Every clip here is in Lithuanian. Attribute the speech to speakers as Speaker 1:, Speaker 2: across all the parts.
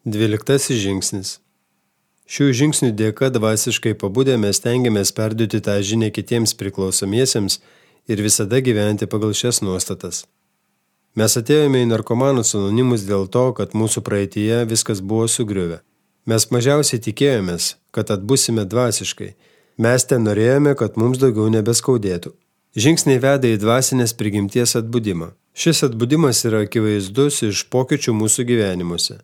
Speaker 1: 12 žingsnis. Šių žingsnių dėka dvasiškai pabudę mes stengiamės perduoti tą žinią kitiems priklausomiesiems ir visada gyventi pagal šias nuostatas. Mes atėjome į narkomanus anonimus dėl to, kad mūsų praeityje viskas buvo sugriuvę. Mes mažiausiai tikėjomės, kad atbusime dvasiškai. Mes ten norėjome, kad mums daugiau nebeskaudėtų. Žingsniai veda į dvasinės prigimties atbudimą. Šis atbudimas yra akivaizdus iš pokyčių mūsų gyvenimuose.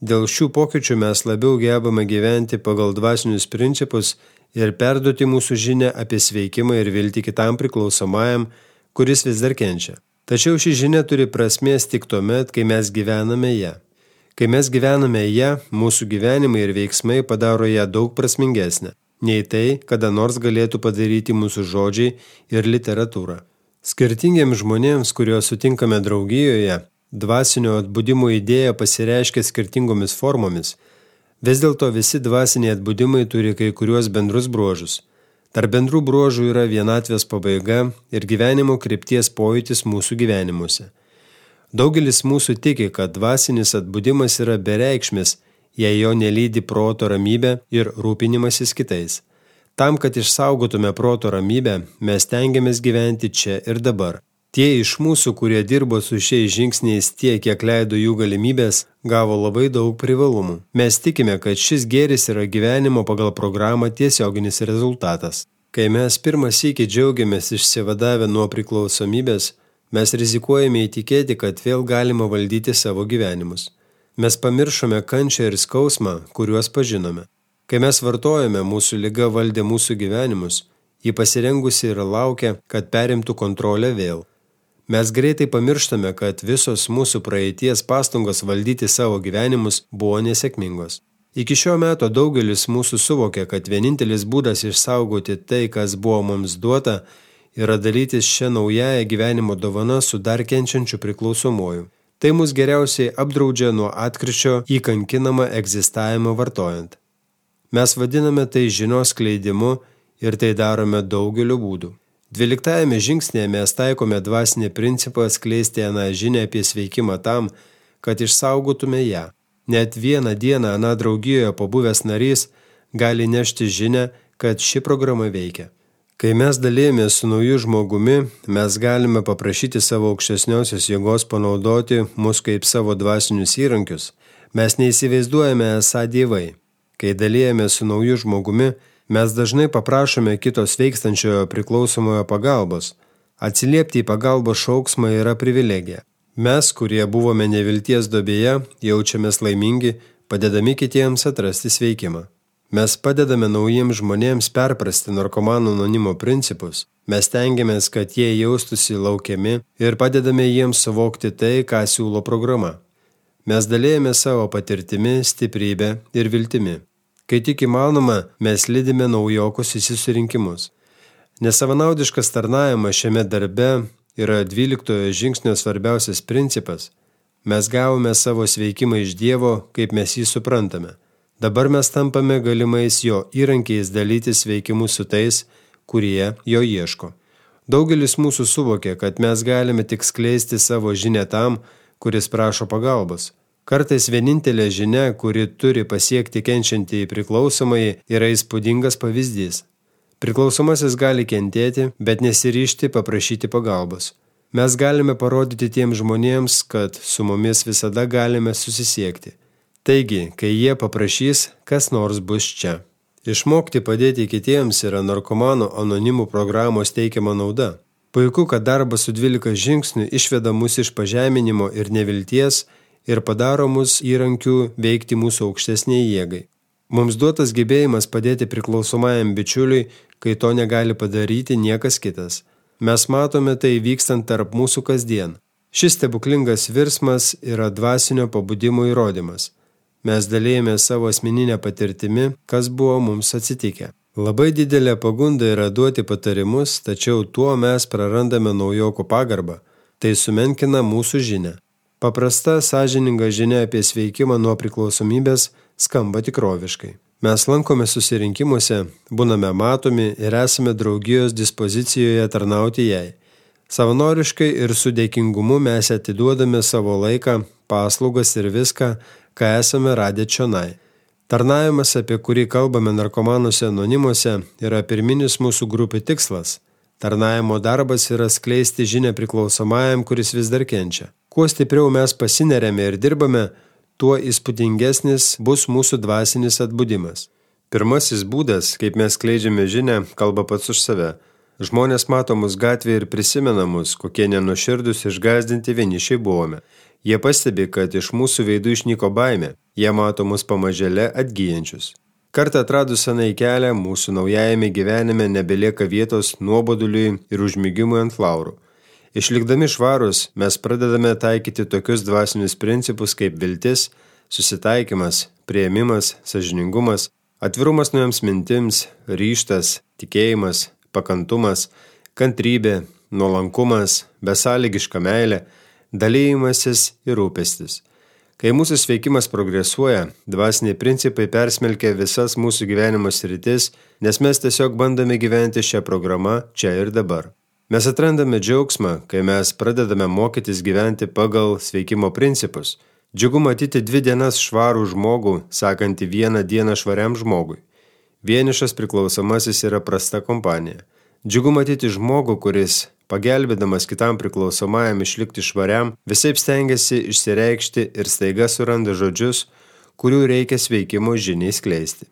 Speaker 1: Dėl šių pokyčių mes labiau gebame gyventi pagal dvasinius principus ir perduoti mūsų žinią apie sveikimą ir viltį kitam priklausomajam, kuris vis dar kenčia. Tačiau ši žinia turi prasmės tik tuomet, kai mes gyvename ją. Kai mes gyvename ją, mūsų gyvenimai ir veiksmai padaro ją daug prasmingesnę, nei tai, kada nors galėtų padaryti mūsų žodžiai ir literatūra. Skirtingiems žmonėms, kuriuos sutinkame draugijoje, dvasinio atbudimo idėja pasireiškia skirtingomis formomis. Vis dėlto visi dvasiniai atbudimai turi kai kuriuos bendrus bruožus. Tarp bendrų bruožų yra vienatvės pabaiga ir gyvenimo krypties pojūtis mūsų gyvenimuose. Daugelis mūsų tiki, kad dvasinis atbudimas yra bereikšmis, jei jo nelydi proto ramybė ir rūpinimasis kitais. Tam, kad išsaugotume proto ramybę, mes tengiamės gyventi čia ir dabar. Tie iš mūsų, kurie dirbo su šiais žingsniais tiek, kiek leido jų galimybės, gavo labai daug privalumų. Mes tikime, kad šis gėris yra gyvenimo pagal programą tiesioginis rezultatas. Kai mes pirmą sykį džiaugiamės išsivadavę nuo priklausomybės, mes rizikuojame įtikėti, kad vėl galima valdyti savo gyvenimus. Mes pamiršome kančią ir skausmą, kuriuos pažinome. Kai mes vartojame, mūsų liga valdė mūsų gyvenimus, ji pasirengusi ir laukia, kad perimtų kontrolę vėl. Mes greitai pamirštame, kad visos mūsų praeities pastangos valdyti savo gyvenimus buvo nesėkmingos. Iki šio meto daugelis mūsų suvokė, kad vienintelis būdas išsaugoti tai, kas buvo mums duota, yra dalytis šią naująją gyvenimo dovaną su dar kenčiančiu priklausomuoju. Tai mus geriausiai apdraudžia nuo atkryčio į kankinamą egzistavimą vartojant. Mes vadiname tai žinios skleidimu ir tai darome daugeliu būdų. 12 žingsnėje mes taikome dvasinį principą skleisti aną žinią apie sveikimą tam, kad išsaugotume ją. Net vieną dieną aną draugijoje pabuvęs narys gali nešti žinią, kad ši programa veikia. Kai mes dalėjomės su nauju žmogumi, mes galime paprašyti savo aukštesniosios jėgos panaudoti mus kaip savo dvasinius įrankius. Mes neįsivaizduojame esą dievai. Kai dalėjomės su nauju žmogumi, mes dažnai paprašome kito sveikstančiojo priklausomojo pagalbos. Atsiliepti į pagalbos šauksmą yra privilegija. Mes, kurie buvome nevilties duobėje, jaučiamės laimingi, padedami kitiems atrasti sveikimą. Mes padedame naujiems žmonėms perprasti narkomanų anonimo principus. Mes tengiamės, kad jie jaustųsi laukiami ir padedame jiems suvokti tai, ką siūlo programa. Mes dalėjame savo patirtimi, stiprybę ir viltimi. Kai tik įmanoma, mes lydime naujokus į susirinkimus. Nesavanaudiškas tarnavimas šiame darbe yra 12 žingsnio svarbiausias principas. Mes gavome savo sveikimą iš Dievo, kaip mes jį suprantame. Dabar mes tampame galimais jo įrankiais dalyti sveikimus su tais, kurie jo ieško. Daugelis mūsų suvokia, kad mes galime tik skleisti savo žinią tam, kuris prašo pagalbos. Kartais vienintelė žinia, kuri turi pasiekti kenčiantį priklausomai, yra įspūdingas pavyzdys. Priklausomasis gali kentėti, bet nesiryžti paprašyti pagalbos. Mes galime parodyti tiems žmonėms, kad su mumis visada galime susisiekti. Taigi, kai jie paprašys, kas nors bus čia. Išmokti padėti kitiems yra narkomanų anonimų programos teikiama nauda. Puiku, kad darbas su 12 žingsnių išveda mus iš pažeminimo ir nevilties ir padaro mus įrankių veikti mūsų aukštesniai jėgai. Mums duotas gebėjimas padėti priklausomajam bičiuliui, kai to negali padaryti niekas kitas. Mes matome tai vykstant tarp mūsų kasdien. Šis stebuklingas virsmas yra dvasinio pabudimo įrodymas. Mes dalėjome savo asmeninę patirtimi, kas buvo mums atsitikę. Labai didelė pagunda yra duoti patarimus, tačiau tuo mes prarandame naujokų pagarbą. Tai sumenkina mūsų žinią. Paprasta, sąžininga žinia apie sveikimą nuo priklausomybės skamba tikroviškai. Mes lankome susirinkimuose, būname matomi ir esame draugijos dispozicijoje tarnauti jai. Savanoriškai ir su dėkingumu mes atiduodame savo laiką, paslaugas ir viską, ką esame radę čionai. Tarnavimas, apie kurį kalbame narkomanuose anonimuose, yra pirminis mūsų grupių tikslas. Tarnavimo darbas yra skleisti žinią priklausomajam, kuris vis dar kenčia. Kuo stipriau mes pasineriame ir dirbame, tuo įspūdingesnis bus mūsų dvasinis atbudimas. Pirmasis būdas, kaip mes skleidžiame žinią, kalba pats už save. Žmonės mato mus gatvėje ir prisimena mus, kokie nenuoširdūs išgąsdinti vienišiai buvome. Jie pastebi, kad iš mūsų veidų išnyko baimė. Jie mato mus pamažėle atgyjančius. Kartą atradus senai kelią, mūsų naujajame gyvenime nebelieka vietos nuoboduliui ir užmigimui ant laurų. Išlikdami švarus, mes pradedame taikyti tokius dvasinius principus kaip viltis, susitaikymas, priėmimas, sąžiningumas, atvirumas naujoms mintims, ryžtas, tikėjimas, pakantumas, kantrybė, nuolankumas, besąlygiška meilė, dalyjimasis ir rūpestis. Kai mūsų sveikimas progresuoja, dvasiniai principai persmelkia visas mūsų gyvenimo sritis, nes mes tiesiog bandome gyventi šią programą čia ir dabar. Mes atrandame džiaugsmą, kai mes pradedame mokytis gyventi pagal sveikimo principus. Džiugu matyti 2 dienas švarų žmogų, sakantį 1 dieną švariam žmogui. Vienišas priklausomasis yra prasta kompanija. Džiugu matyti žmogų, kuris, pagelbėdamas kitam priklausomajam išlikti švariam, visaip stengiasi išsireikšti ir staiga suranda žodžius, kurių reikia sveikimo žiniai skleisti.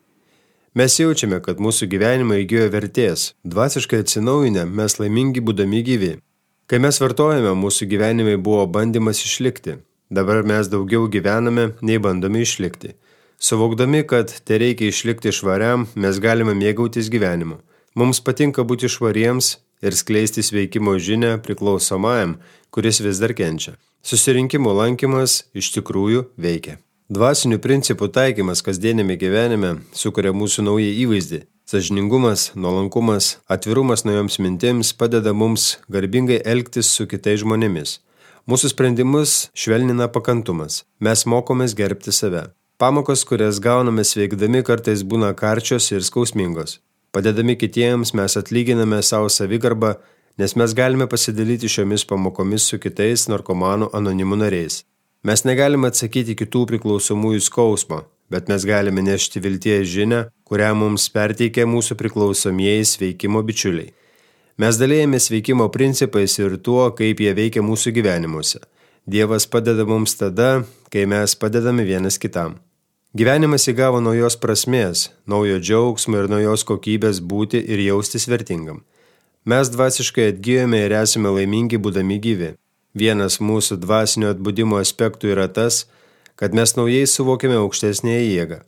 Speaker 1: Mes jaučiame, kad mūsų gyvenimai įgijo vertės, dvasiškai atsinaujinę, mes laimingi būdami gyvi. Kai mes vartojame, mūsų gyvenimai buvo bandymas išlikti. Dabar mes daugiau gyvename, nei bandome išlikti. Suvokdami, kad tai reikia išlikti švariam, mes galime mėgautis gyvenimu. Mums patinka būti švariems ir skleisti sveikimo žinią priklausomajam, kuris vis dar kenčia. Susirinkimų lankymas iš tikrųjų veikia. Dvasinių principų taikymas kasdienėme gyvenime sukuria mūsų naują įvaizdį. Sąžiningumas, nuolankumas, atvirumas naujoms mintims padeda mums garbingai elgtis su kitais žmonėmis. Mūsų sprendimus švelnina pakantumas. Mes mokomės gerbti save. Pamokos, kurias gauname sveikdami, kartais būna karčios ir skausmingos. Padedami kitiems mes atlyginame savo savigarbą, nes mes galime pasidalyti šiomis pamokomis su kitais narkomanų anonimų nariais. Mes negalime atsakyti kitų priklausomųjų skausmo, bet mes galime nešti vilties žinią, kurią mums perteikia mūsų priklausomieji sveikimo bičiuliai. Mes dalėjame sveikimo principais ir tuo, kaip jie veikia mūsų gyvenimuose. Dievas padeda mums tada, kai mes padedame vienas kitam. Gyvenimas įgavo naujos prasmės, naujo džiaugsmo ir naujos kokybės būti ir jaustis vertingam. Mes dvasiškai atgyjome ir esame laimingi būdami gyvi. Vienas mūsų dvasinio atbudimo aspektų yra tas, kad mes naujai suvokiame aukštesnėje jėgą.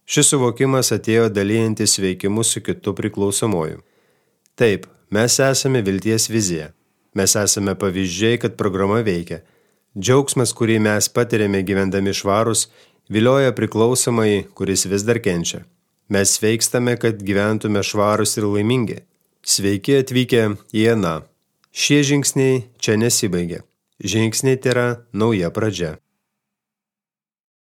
Speaker 1: Šis suvokimas atėjo dalyjantis veikimu su kitu priklausomuoju. Taip, mes esame vilties vizija. Mes esame pavyzdžiai, kad programa veikia. Džiaugsmas, kurį mes patiriame gyvendami švarus, vilioja priklausomai, kuris vis dar kenčia. Mes sveikstame, kad gyventume švarus ir laimingi. Sveiki atvykę į Aną. Šie žingsniai čia nesibaigia. Žingsniai tai yra nauja pradžia.